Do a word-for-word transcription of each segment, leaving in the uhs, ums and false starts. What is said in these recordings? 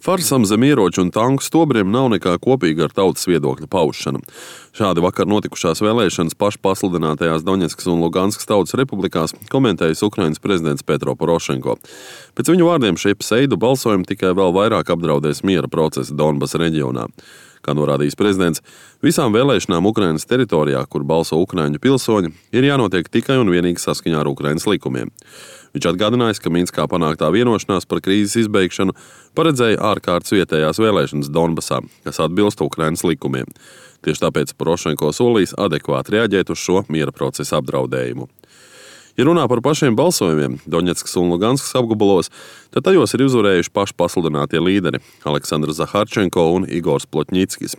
Farsam zem ieroču un tanku stobriem nav nekā kopīga ar tautas viedokļa paušanu. Šādi vakar notikušās vēlēšanas pašpasludinātajās Doņetskas un Luganskas tautas republikās komentējis Ukrainas prezidents Petro Porošenko. Pēc viņu vārdiem šie pseidu balsojumi tikai vēl vairāk apdraudēs miera procesu Donbasa reģionā. Kā norādījis prezidents, visām vēlēšanām Ukrainas teritorijā, kur balso ukraiņu pilsoņi, ir jānotiek tikai un vienīgi saskaņā ar Ukrainas likumiem. Viņš atgādinājis, ka Minskā panāktā vienošanās par krīzes izbeigšanu paredzēja ārkārtas vietējās vēlēšanas Donbasā, kas atbilst Ukrainas likumiem. Tieši tāpēc Porošenko solīs adekvāti reaģēt uz šo miera procesa apdraudējumu. Ja runā par pašiem balsojumiem Doņetskas un Luganskas apgabalos, tad tajos ir uzvarējuši paši pasludinātie līderi Aleksandrs Zaharčenko un Igors Plotņickis.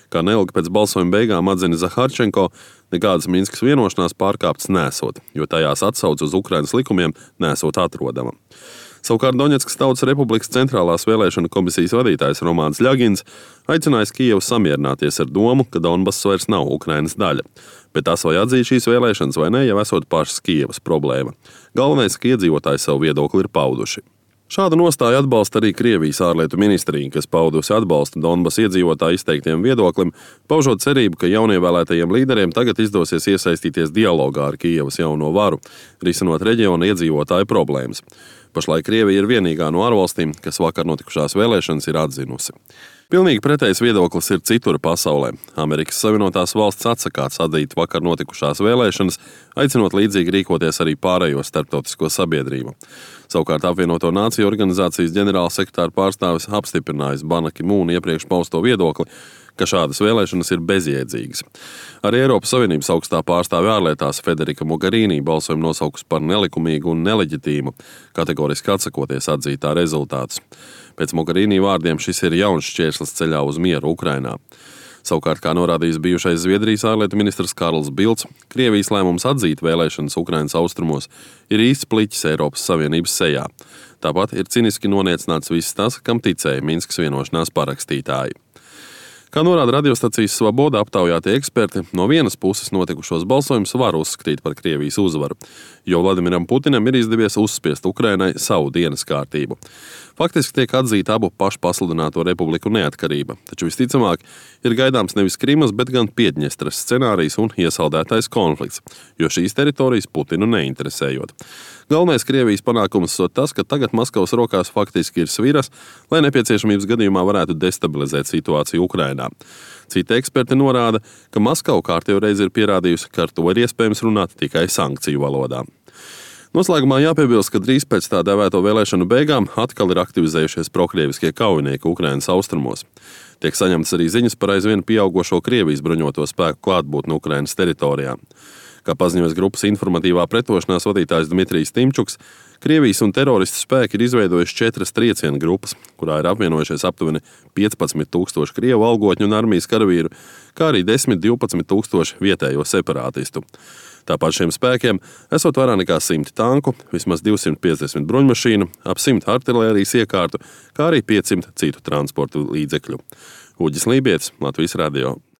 Kā neilgi pēc balsojuma beigām atzina Zaharčenko, nekādas Minskas vienošanās pārkāptas nesot, jo tajās atsauce uz Ukrainas likumiem nesot atrodama. Savukārt Doņetskas Tautas Republikas centrālās vēlēšana komisijas vadītājs Romāns Ļagins aicinājis Kijevu samierināties ar domu, ka Donbass vairs nav Ukrainas daļa. Bet tas, vai atzīt šīs vēlēšanas vai ne, jau esot pašas Kijevas problēma. Galvenais, ka iedzīvotāji savu viedokli ir pauduši. Šādu nostāju atbalsta arī Krievijas ārlietu ministrija, kas paudusi atbalstu Donbas iedzīvotāju izteiktiem viedoklim, paužot cerību, ka jaunievēlētajiem līderiem tagad izdosies iesaistīties dialogā ar Kijevas jauno varu, risinot reģiona iedzīvotāju problēmas. Pašlaik Krievija ir vienīgā no ārvalstīm, kas vakar notikušās vēlēšanas ir atzinusi. Pilnīgi pretējs viedoklis ir citur pasaulē. Amerikas Savienotās valsts atsakās atzīt vakar notikušās vēlēšanas, aicinot līdzīgi rīkoties arī pārējo starptautisko sabiedrību. Savukārt apvienoto nāciju organizācijas ģenerālsekretāra pārstāvis apstiprinājis Ban Ki-mūna iepriekš pausto viedokli, ka šādas vēlēšanas ir bezjēdzīgas. Arī Eiropas Savienības augstā pārstāve ārlietās Federika Mogherini balsojumu nosaukusi par nelikumīgu un neleģitīmu, kategoriski atsakoties atzīt tā rezultātus. Pēc Mogherini vārdiem šis ir jauns šķērslis ceļā uz mieru Ukrainā. Savukārt, kā norādījis bijušais Zviedrijas ārlietu ministrs Karls Bilds, Krievijas lēmums atzīt vēlēšanas Ukrainas austrumos ir īsts pliķis Eiropas Savienības sejā. Tāpat ir ciniski noniecināts viss tas, kam ticēja Minskas vienošanās parakstītāji. Kā norāda radiostacijas Svaboda aptaujātie eksperti, no vienas puses notikušos balsojumus var uzskatīt par Krievijas uzvaru, jo Vladimiram Putinam ir izdevies uzspiest Ukrainai savu dienas kārtību. Faktiski tiek atzīta abu pašpasludināto republiku neatkarība, taču visticamāk ir gaidāms nevis Krimas, bet gan Piedņestras scenārijs un iesaldētais konflikts, jo šīs teritorijas Putinu neinteresējot. Galvenais Krievijas panākums ir tas, ka tagad Maskavas rokās faktiski ir sviras, lai nepieciešamības gadījumā varētu destabilizēt situāciju Ukrainā. Citi eksperti norāda, ka Maskava kārtējo reizi ir pierādījusi, ka ar to ir iespējams runāt tikai sankciju valodā. Noslēgumā jāpiebilst, ka drīz pēc tā dēvēto vēlēšanu beigām atkal ir aktivizējušies prokrieviskie kaujinieki Ukrainas austrumos. Tiek saņemtas arī ziņas par aizvien pieaugošo Krievijas bruņoto spēku klātbūtni Ukrainas teritorijā. Kā paziņojas grupas informatīvā pretošanās vadītājs Dmitrijs Timčuks, Krievijas un teroristu spēki ir izveidojuši četras triecienu grupas, kurā ir apvienojušies aptuveni piecpadsmit tūkstoši krievu algotņu un armijas karavīru, kā arī desmit līdz divpadsmit tūkstoši vietējo separātistu. Tāpat šiem spēkiem esot vairāk nekā simti tanku, vismaz divsimt piecdesmit bruņmašīnu, ap simt artilērijas iekārtu, kā arī piecsimt citu transportu līdzekļu. Uģis Lībietis, Latvijas radio.